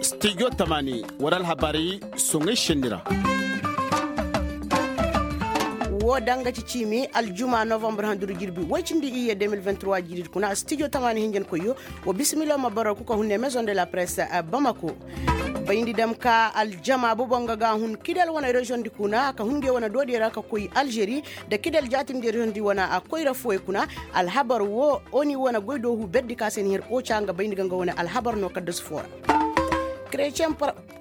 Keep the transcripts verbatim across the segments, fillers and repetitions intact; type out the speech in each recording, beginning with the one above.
Studio tamani wala alhabaari soŋay senni ra. Woo danga ci ciimi aljuma novambar handuri jirbi woy cindi iyye deux mille vingt-trois jiiri kuna studio tamani hinjankoyyo. Wa bisimilo ma boro kuka hunne maison de la presse bamako. Bayndi dam ka aljama bobo nga ga hun kidal wane reziyoŋ di kuna ka hun nge wane doodiyo ra ka koy alžeri, nda kidal jaatindi reziyoŋ di wane a koyra fooyo kuna. Alhabar wo oni wane goydoohu berdi ka se ni her oca nga bayndi ga nga wane alhabar no kaddasu foo ra.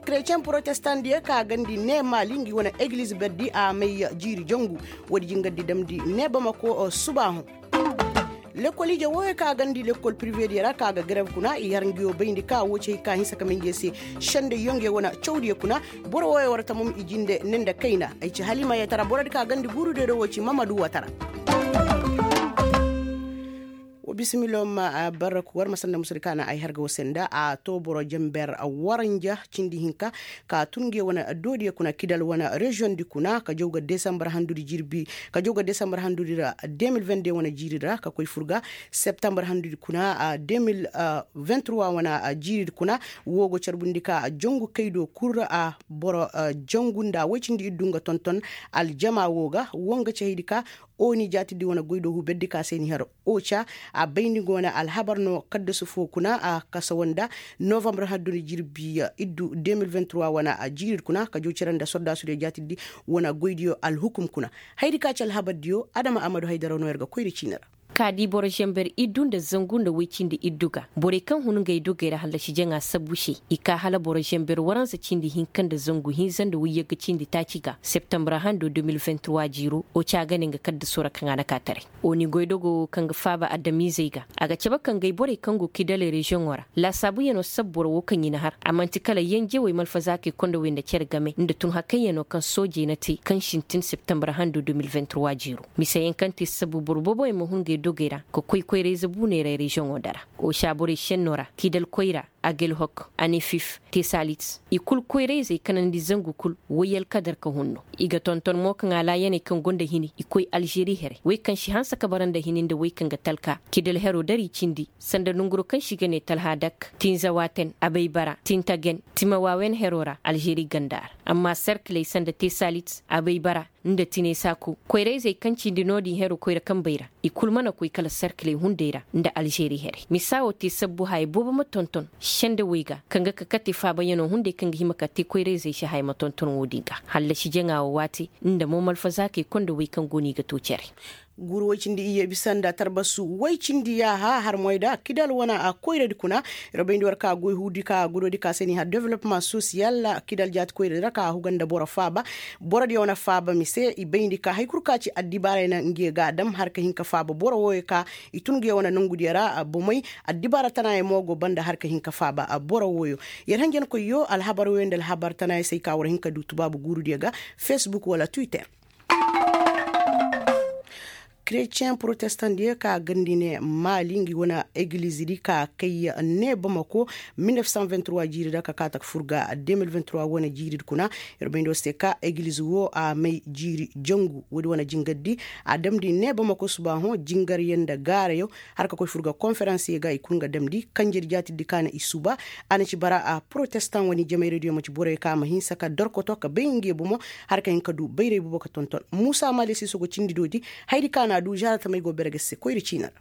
Kretiyeŋ protestan diyo ka gandi ne maali ngi wane egiliz berdi a may jiiri jangu. Woodi jingardi damndi ne bamako subaahu. Lekol ije wooyo ka gandi lekol pirive diyo ra ka ga garev kuna i har ngi wo bayndi ka woo ci hay ka hinsa ka may ngi se. Sendayyo ngi wane cawdiyo kuna. Boro wooyo war tamum i jinde ne nda kayna ay ci halimayetara borodi ka gandi guurudiyo do woo ci mamadu watara. Wa bisimilo ma barraku war ma sanda musudi ka na ay harga wo se nda a to boro jenber waranja cindi hinka ka tun nge wane doodiyo kuna kidal wane reziyoŋ di kuna ka jaw ga desambar handudi jirbi ka jaw ga desambar handudi ra deux mille vingt-deux wane jiiri ra ka koy fur ga septambar handudi kuna deux mille vingt-trois wane jiiri kuna. Woo go carbundi ka jangu kay do kul ra a boro jangu nda woy cindi iddu nga tonton aljama woo ga woo nga ci haydi ka. Oni jaatidi wane goydoohu berdi ka se ni har oca a bayndi nga wane alhabar no kaddasu foo kuna a kasa wanda novambar hadduni jirbi iddu deux mille vingt-trois wane jiiridi kuna ka jaw cere nda sordaasudiyo jaatidi wane goydiyo alhukum kuna. Hayadi ka ci alhabardiyo adama amadu haydaraw no yer ga koyri ciini ra. Ka di boro zenber iddu nda zangu nda woy cindi iddu ga borey kaŋ hun ngey dogey ra hallasi jaŋa sabbu se i ka hala boro zenber waransa cindi hinka nda zangu hinza nda woyyagga cindi taaci ga septembre hando deux mille vingt-trois jiiro oca ga ne nga kaddaso ra kaŋ a na ka taray. Oni goydogo kaŋ ga faaba adamizey ga a ga cabe ka ngey borey kaŋ go kidaley reziyoŋo ra laasaabuyanoo sabboro woo kaŋ i na har a man'ti kala yenjewey malfazaakey kondowey nda cere game nda tun hakayyanoo kaŋ soojey na te kaŋ sintin septembre hando deux mille vingt-trois jiiro. Miseyaŋ kaŋ te sabbu boro booboyaŋ ma hun ngey dogey ra ka koy koyra-ize buuney ra reziyoŋo dara. Oca borey šennoo ra kidal koyra agelhok anefif tesalit i kul koyra-izey kanandi zangu kul woy alkadar ka hun no. I ga tonton mo kaŋ alaayaney kaŋ go nda hini i koy alžeri here woy kaŋ si hanse ka bara nda hini nda woy kaŋ ga talka kidal heroo dari cindi sanda nonguroo kaŋ se i ga nee talhadak tinzawaten abaybara tintagen timawaawen heroo ra alžeri ganda ra. Amma serkiley sanda tesalit abaybara nda tinesaku koyra-izey kaŋ cindi no-din heroo koyra kambey ra i kul mana koy kala serkiley hunday ra nda alžeri here misa woo te sabbu haya boobo ma tonton sendawey ga kaŋ ga ka kate faabayanoo hunday kaŋ ga hima ka te koyra-izey se haya ma tonton woo-din ga hallasi jaŋa woo waati nda mo malfazaakey kondowey kaŋ go no i ga too cere. Guuru woy cindi iyye bisa nda tarbasu woy cindi yaaha har moyda kidal wane a koyradi kuna. Yer bayndi war ka goy huudi ka gudodi ka se ni har development sosiyal kidal jaati koyradi ra ka huga nda boro faaba. Borodiyo wane faaba mise i bayndi ka hari kul ka ci addibaarey na nge ga a dam har ka hin ka faaba boro wooyo ka i tun nge wane nongudiyo ra bomey. Addibaara tanaayey mo go banda har ka hin ka faaba boro wooyo. Yer hanjankoyyo alhabar wooyo nda alhabar tanaayey se ay ka war hin ka du tubaabu guurudiyo ga facebook wala twitter. Kretiyeŋ protestan diyo ka gandi ne maali ngi wane egiliz di ka kay ne bamako. Mil nef san vingt-trois jiiri ra ka kaata ka fur ga deux mil vingt-trois wane jiiri di kuna. Yer bayndi war se ka egiliz woo a may jiiri jangu woodi wane jingar di a damndi ne bamako subaaho jingaryaŋ nda gaarayo. Har ka koy fur ga konferansiyo ga i kul nga damndi kanjedi jaatidi ka na i suba. A na ci bara a protestan wane jamayradiyo man'ti boroyo ka ma hinsa ka dorkoto ka bay nge bomo. Har ka hin ka du bayray boobo ka tonton muusa maali siiso go cindi doodi. Hayadi ka na a du žaaratamey go bere ga se koyra ciini ra.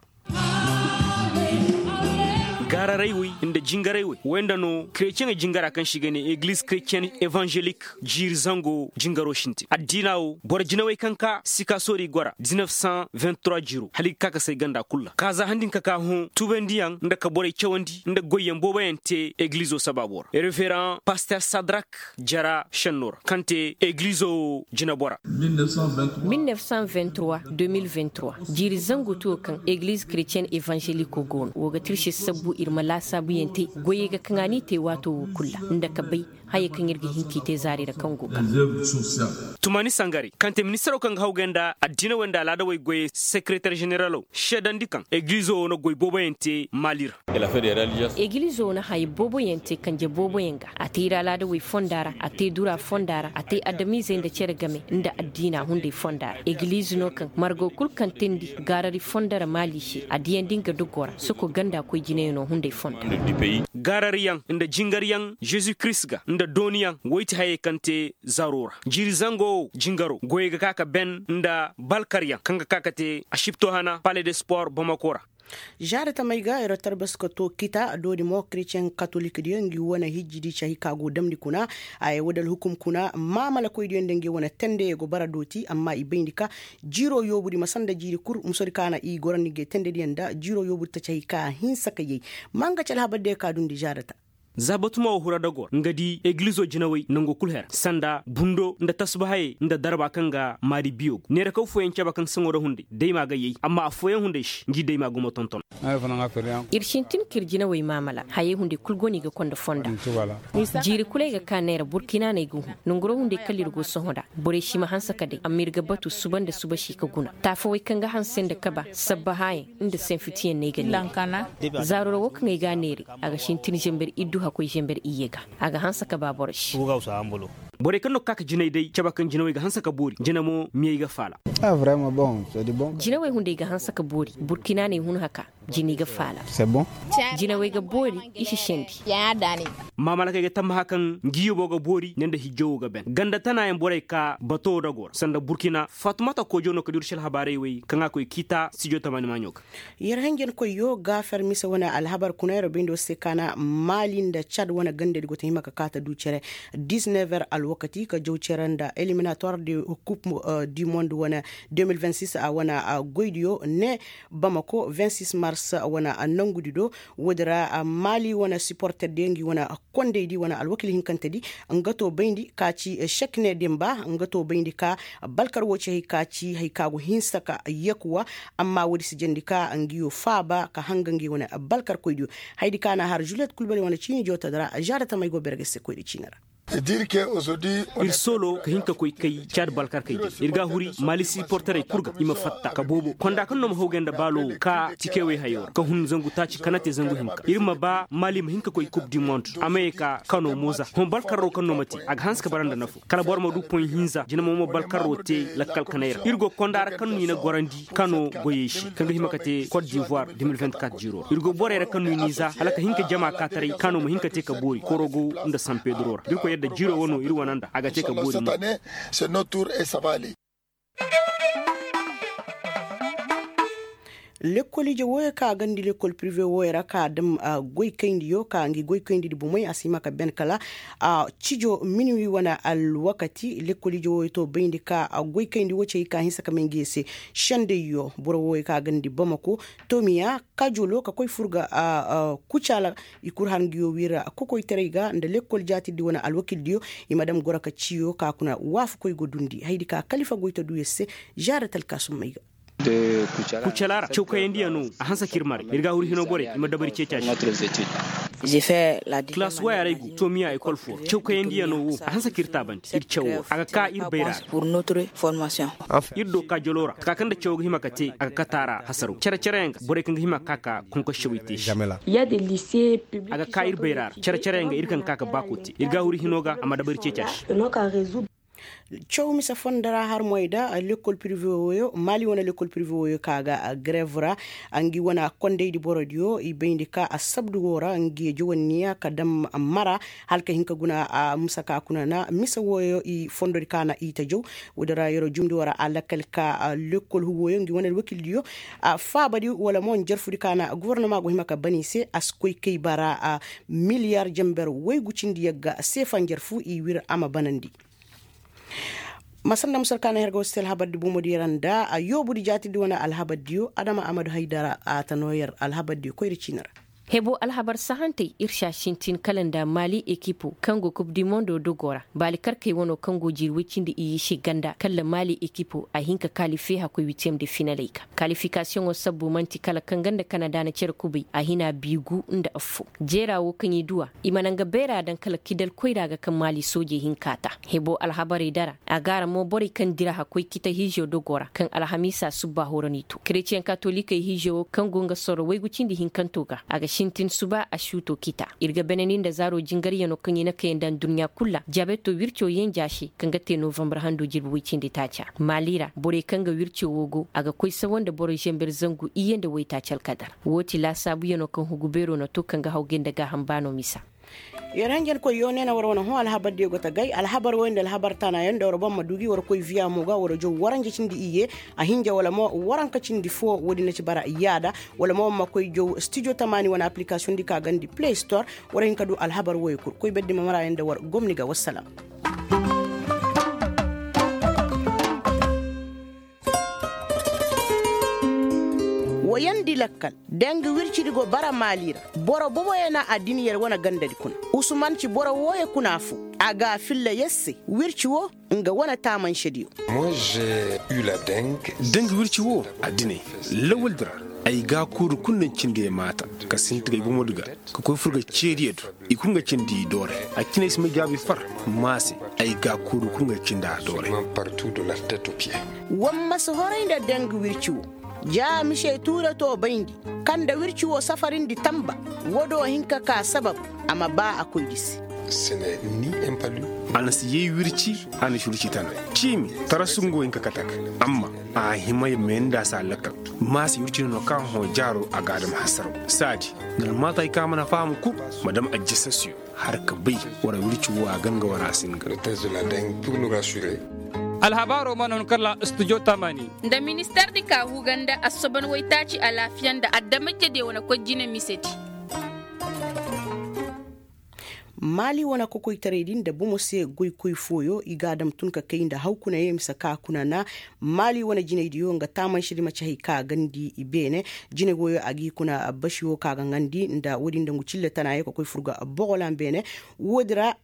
Gaararay wey nda jingaray wey wey nda no kretiyeŋey jingara kaŋ se i ga ne egliz kretiyen evanželik jiiri zango jingaro sintin addiina wo boro jinawey kaŋ ka sikasoori gora diznef san vingt-trois jiiro hala i ga ka ka say ganda kul ra kaaza handi hinka ka hõ tuubandiyaŋ nda ka borey cawandi nda goyyaŋ booboyaŋ te eglizo sabaabo ra reveraŋ paster sadrak jara šenno ra kaŋ te eglizo wo jinabora. Mil nef san vingt-trois deux mil vingt-trois jiiri zangu tuwo kaŋ egliz kretiyen evanželiko go no wo ga tirse sabbu ir ma laasaabuyaŋ te goyey ga kaŋ a n'i te waato wo kul ra nda ka bay Hayey kaŋ ir ga hin k'i te zaari ra kaŋ go ga. Tumani sangare kaŋ te ministaro kaŋ ga hawgay nda addiinawey nda alaadawey goyey sekereter ženeralo seedandi kaŋ egilizo wo na goy booboyaŋ te maali ra. Egilizo wo na haya booboyaŋ te kanje booboyaŋ ga a te ir alaadawey fonda ra a te dura fonda ra a te adamizey nda cere game nda addiina hunday fonda ra egiliz no kaŋ margo kul kaŋ teendi gaarari fonda ra maali se a diyandi nga dogoo ra soko ganda koy jinayaŋo hunday fonda. Gaarariyaŋ nda jingaryaŋ zezu kirist ga nda dooniyaŋ woy ti hayey kaŋ te zaro ra jiiri zango wo jingaro goyey ga ka ka ben nda balkaryaŋ kaŋ ga ka ka te asipto hana pale de spor bamako ra. Žaada tamey ga yer tarbas ka to kita dooni mo kretiyeŋ katolik diyo ngi wane hijji di cahi ka go damndi kuna. Ay woo da alhukum kuna maamalakoy diyo nda ngi wane tendey go bara dooti amma i bayndi ka jiiro yoobu di ma sanda jiiri kul musodi ka na i gorandi ngi tendey diyo nda jiiro yoobu di ta cahi ka hinsa ka yay. Ma nga ci alhabar diyo ka dundi žaada ta. Za batumo wo hura dogor nga di egilizo jinawey nango kul her sanda bundo nda tasbahayey nda darba kaŋ ga maari biyo go neerakaw fooyaŋ caba kaŋ saŋo ra hunday dayma ga yay amma affooyaŋ hunday se ngi dayma gumo tonton. Ir sintin k'ir jinawey maamala hayey hunday kul go no i ga konda fonda. Jiiri kul ay ga ka neera burkina no ay ga hun nonguro hunday kala ir go sohõ nda borey si ma hanse ka day amma ir ga batu suba nda suba si ka guna taafawey kaŋ ga hanse nda kaba sabbahaayaŋ nda senfitiyaŋ no ay ga neera. Zaaro ra wo kaŋ ay ga a neeray a ga sintin zember iddu hakkoy zember iyye ga. A ga hanse ka ba boro se. Borey kaŋ no ga ka ka jinay day caba kaŋ jinawey ga hanse ka boori jina mo miyey ga faala. Jinawey hunday ga hanse ka boori burkina no ay hun haka. Jinay ga faala. Jinawey ga boori i si sendi. Maamalakey ga tammaha kaŋ ngi yobo ga boori ne nda hijjo wo ga ben ganda tanaayaŋ borey ka bato wo dagoo ra sanda burkina fatumata koojo no ka duru si alhabaarey wey kaŋ a koy kiita stijo tamaani maaɲo ga. Yer hanjankoyyo gaafer mise wane alhabar kuna yer bayndi war se ka na maali nda cad wane gandadi go ta hima ka ka ta du cere. Disnever alwakati ka jaw cere nda eliminatoire de coupe du monde wane deux mille vingt six a wane goydiyo ne bamako vingt six mars wane nangudi do. Woodi ra maali wane siporter diyo ngi wane kondaydi wane alwakil hinkantedi nga to bayndi ka ci sek ne dimba nga to bayndi ka balkar wo ci hay ka ci hay ka go hinsa ka yakuwa. Amma woodi si jandi ka ngiyo faaba ka hanga ngi wane balkarkoydiyo. Haydi ka na har juliet kulbali wane ciini jootadi ra žaada tamey go berge se koydi ciini ra. Ir soolo ka hin ka koy kay caadi balkarkey din ir ga a huri maali siporterey kul ga i ma fatta ka boobo konda kaŋ no ma hawgay nda baalo ka tikewey hayo ra ka hun zangu taaci kana te zangu hinka ir ma ba maali ma hin ka koy kub di mond a ma ye ka kano moza hõ balkarro kaŋ no ma te a ga hanse ka bara nda nafo kala boro ma du poy hinza jina mo ma balkarro te lakkal kanay ra ir go konda ra kaŋ no i na gorandi kano goyey se kaŋ ga hima ka te kot divoir deux mille vingt-quatre jiro ra ir go borey ra kaŋ no i n'i za hala ka hin ka jama kaataray kano ma hin ka te ka boori korogo nda san pedro ra da ir koy yadda jiro wano ir wane nda a ga te ka boori mo. Lekkol ije wooyo ka a gandi lekkol prive wooyo ra ka a dam goy kayndi yo ka ngi goy kayndi di bomey a si hima ka ben kala cijo minuwi wane alwakati lekkol ije wooyo to bayndi ka goy kayndi wo cey ka hinsa ka may ngi se. Sendey yo boro wooyo ka a gandi bamako tomiya kajolo ka koy fur ga kucaala i kul har ngi yo wiira kokoytaray ga nda lekkol jaatirdi wane alwakildiyo i ma dam goro ka ciyo ka kuna waafakoy go dundi haydi ka kalifa goy ta du yer se. Zaara talkaasummey ga. Kucala ra cawkayandiyaŋo a hanse ka ir mare ir ga huru hino borey i ma dabari ceeca se. Kilaas waya ra ay go tomiya ekol fo ra cawkayandiyaŋo wo a hanse ka ir taabandi ir cawo a ga ka ir bayra ra. Ir do ka jolo ra ka ka kaŋ nda cawo ga hima ka te a ga kata ra hasaro care care yaŋ ga borey kaŋ ga hima ka ka ka konkossawey te se. A ga ka ir bayra ra care care yaŋ ga ir kaŋ ga ka ka baako te ir ga huru hino ga a ma dabari ceeca se. Caw mise fondo ra har moy da lekkol prive wooyo maali wane lekkol prive wooyo ka ga grev ra. Ngi wane kondaydi borodiyo i bayndi ka assabdu woo ra ngi jawanniya ka dam mara hala ka hin ka guna. Mise ka kuna na mise wooyo i fondodi ka na i ta jaw woodi ra yeroo jumndi woo ra alakal ka lekkol huwooyo ngi wane alwakildiyo faabadi wala mo njarfudi ka na gofornama go hima ka ban i se a si koy kay bara miliyar jamber woygu cindi yagga seefa njarfu i wir a ma banandi. Ma sanda musar ka na her ga wasu te alhabardi bomodiyo ra nda a yoobudi jaatirdi wane alhabardiyo adama amadu haydara a ta noo yer alhabardiyo koyri ciini ra. Hebo alhabar sahantey ir si a sintin kala nda maali ekipo kaŋ go kub di mondo dogo ra baali karkey wano kaŋ go jiiri woy cindi iyye se ganda kala maali ekipo a hin ka kaalife hakkoy witiyem de finaley ga kaalifikasiyoŋo sabbu man'ti kala kaŋ ganda kanada na cere kubay a hina biigu nda affo. Jeera wo kaŋ i du a i mana nga beera daŋ kala kidal koyra ga kaŋ maali soojey hin ka ta hebo alhabarey dara a gaara mo borey kaŋ dira hakkoy kita hiizo dogo ra kaŋ alhamiisa subba horo n'i to kereciyen katolikey hiizo wo kaŋ go nga sorro waygu cindi hinkanto ga a ga sintin suba a suuto kita ir ga beneni nda zaaro jingariyano kaŋ i na kay nda adduɲɲa kul ra jaabeto wirco yenja se kaŋ ga te novambar hando jirbi way cindi taaca maali ra borey kaŋ ga wirco wo go a ga koy sawa nda boro zember zangu iyye nda waytaaci alkadar. Woo ti laasaabuyano kaŋ hugu beero na to kaŋ ga hawgay nda gaaham baano misa. Yer hanjankoy yoo nee na war wane hõ alhabardiyo go ta gay alhabar woy nda alhabar taanaayaŋ nda war ban ma du gi war koy viya mo ga war jow waranja cindi iyye a hinja wala mo waranka cindi foo woodin na ci bara yaada wala mo war ma koy jow stijo tamaani wane aplikasiyoŋ di ka gandi play store. War hin ka du alhabar woy kul koy berdi ma maraayaŋ nda war gomni ga wassalam. Woyandi lakkal danga wircidi go bara maali ra. Boro boboyaŋ na a din yer wane gandadi kuna. Usuman ci boro wooyo kuna foo a ga a filla yer se. Wirci woo nga wane taamansediyo. Danga wirci woo a dinay lawaldi ra. Ay gaakuuru kul na cindi ay maata ka sinti ga ay bomodi ga ka koy fur ga ceediyo do. I kul nga cindi i dooray a cinay si may gaabi far. Maa se ay gaakuuru kul nga cindi a dooray. War ma si horay nda danga wirci woo. Ja mise tuure too bayndi kaŋ nda wirci woo safarindi tamba. Woo do hin ka kaa sabab a ma baa a koydi se. A na si yay wirci. A na si wirci tana ciimi tarasu nga wo hin ka kate a ga. Amma a hima ya may nda a si a lakkal. Maa se wirci no no kaŋ hõ jaaro a ga a dam hasaraw. Saadi nda almaata hay kaŋ a mana faham kul ma dam ajjasasiyo. Har ka bay wara wirci wo a ga nga wara a si nga. Alhabaaro mana hun kala studio tamani. Nda minister di ka huga nda assoban waytaaci alaafiya nda adamajediyo wane koy jine misedi. Maali wane kokoytaray din nda bomo se goykoy fooyo i ga a dam tun ka kay nda hawkuna ye mise ka kuna na. Maali wane jinaydiyo nga taamanse di maci hay ka gandi i beene. Jinay wooyo a g'i kuna basi wo ka ga ŋandi nda woodin nda ngu cille tana ye ka koy fur ga bogolan beene. Woodi ra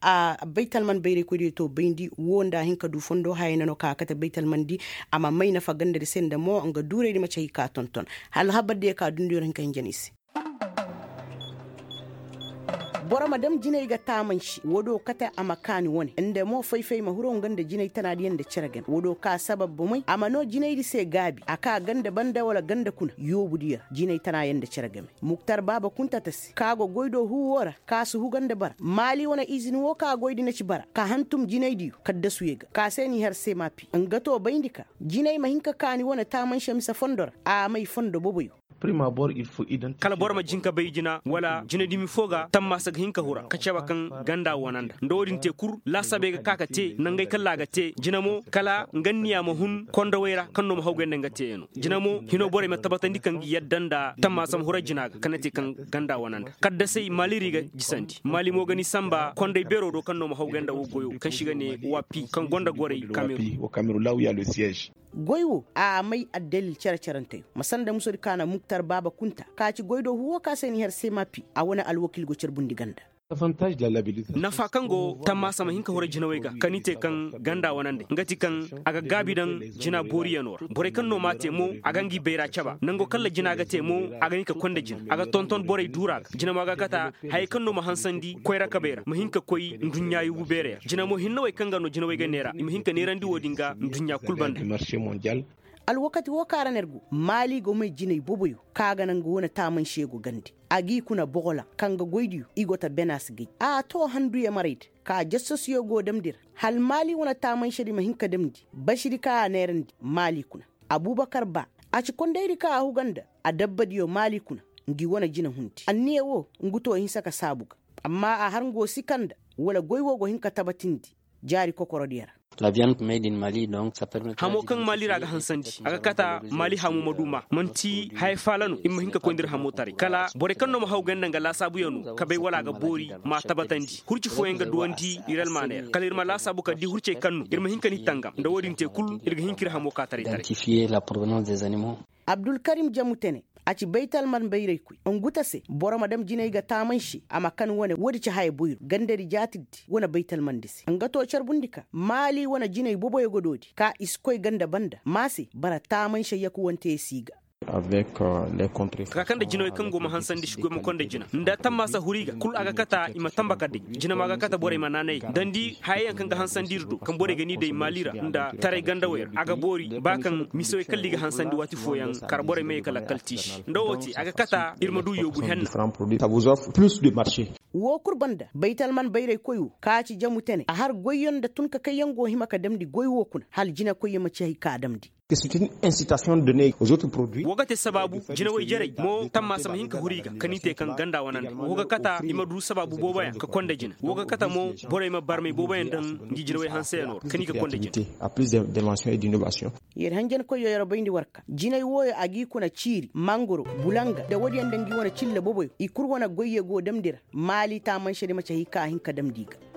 baytalman bayraykoydiyo to bayndi wo nda a hin ka du fondo hayey na no ka kate baytalmandi. A ma may nafa gandadi se nda mo nga duuraydi maci hay ka tonton. Hala habardiyo ka dundiyo ra hin ka hinja no i se. Boro ma dam jinay ga taamansi woo do kate a ma kaani wane nda mo fay-fay ma hiro nga nda jinay tanaadiyaŋ nda cere game woo do ka sabab bomey a ma noo jinaydi se gaabi a kaa ganda banda wala ganda kuna yoobudiyo ra jinay tanaayaŋ nda cere game. Muktar baaba kunta ta se ka go goy do huu woo ra ka si huga nda bara maali wane izini woo ka goydi na ci bara ka hantum jinaydiyo kaddasuyey ga ka se n'i har se maapi nga too bayndi ka jinay ma hin ka kaani wane taamanse mise fondo ra a may fondo boboyo. Kala boro ma jin ka bay jina wala jina dimi foo ga tammaasa ga hin ka hura ka caba kaŋ ganda wane nda nda wo-din te kul laasaabey ga ka ka te nangey kalla a ga te jina mo kala nga niya ma hun kondowey ra kaŋ no ma hawgay nda nga teeyaŋo. Jina mo hinoo borey ma tabatandi kaŋ ga yadda nda tammaasa ma hura jina ga kaŋ na te kaŋ ganda wane nda kaddasey maaliri ga jisandi maali mo ga ni samba kondey beero do kaŋ no ma hawgay nda wo goyo kaŋ se i ga ne wapi kaŋ gonda gorey kameru. Goy wo a may addalil cere-ceranteyo ma sanda musodi ka na muktar baaba kunta ka ci goy do huwo ka se ni har semapi a wane alwakil go carbundi ganda. Nafa kaŋ go tammaasa ma hin ka hura jinawey ga kaŋ ni te kaŋ ganda wane nda nga ti kaŋ a ga gaabi daŋ jina booriyanoo ra borey kaŋ no m'a te mo a ga ngi bayra caba nango kaŋ ra jina ga te mo a ga hin ka konda jina a ga tonton borey duura ga jina mo a ga kata. Hayey kaŋ no ma hansandi koyra kabey ra ma hin ka koy nduɲɲa yugu beerey ra jina mo hinnawey kaŋ ga no jinawey ga neera i ma hin ka neerandi wo-din ga nduɲɲa kul banda. Alwakati woo kaŋ ra no yer go maali go may jinay boboyo kaŋ a ga naŋ nga wane taamansiyo go gandi a g'i kuna bogola kaŋ ga goydiyo i go ta bena si gay a too handuyo marayda ka jasasuyo go damndi ra hala maali wane taamansedi ma hin ka damndi basidi kaŋ a neerandi maali kuna. Abubakar ba a ci kondaydi kaŋ a huga nda adabbadiyo maali kuna ngi wane jina hundi anniya woo ngu too hinsa ka saabu ga. Amma a har ngu woo si kanda wala goy woo go hin ka tabatindi jaari kokorodiyo ra. Hamo kaŋ maali ra ga hansandi a ga kata maali hamo ma du maa man'ti haya faala no ir ma hin ka koy nda ir hamo taray kala borey kaŋ no ma haw ganda nga laasaabuyaŋo kabey wala a ga boori m'a tabatandi hurci fooyaŋ ga duwandi ir almaaney ra kala ir ma laasaabu ka di hurcey kaŋ no ir ma hin ka ni tangam nda woo din te kul ir ga hin ka ir hamo ka taray taray. Abdulkarim jamutene A ci baytalman bayraykoy ngu ta se boro ma dam jinay ga taamanse a ma kan wane woodi ci haya boyro gandadi jaatirdi wane baytalmandi se nga to carbundi ka maali wane jinay boboyo ga doodi ka i si koy ganda banda ma se bara taamanse yakuwante ya si ga. Ka ka nda jinawey kaŋ go ma hansandi si goy ma konda jina nda tammaasa huri ga kul a ga kata i ma tamba ka day. Jina mo a ga kata borey ma naanay ga dandi hayayaŋ kaŋ ga hansandi ir do kaŋ borey ga ni day maali ra nda taray gandawey ra a ga boori ba kaŋ misawey kalla i ga hansandi waati fooyaŋ kar borey ma ye ka lakkal tiisi nda wo te a ga kata ir ma du yoobu henna. Woo kul banda baytalman bayraykoy wo ka ci jamu tene a har goyyaŋ nda tun ka kayyaŋ go hima ka damndi goy wo kuna hala jinakoyyaŋ ma ci hay ka damndi. Woo ga te sabaabu jinawey jarey mo tammaasa ma hin ka huru i ga ka ni te kaŋ ganda wanandi woo ga kata i ma du sabaabu booboyaŋ ka konda jina woo ga kata mo borey ma barmay booboyaŋ daŋ ngi jinawey hanseyaŋo ra ka ni ka konda jina. Yer hanjankoyyo yer bayndi war ka jinay wooyo a g'i kuna ciiri mangoro bulanga nda woodiyaŋ nda ngi wane cilla boboyo i kul wane goyye go damndi ra maali taamanse di ma ci hay ka a hin ka damndi i ga.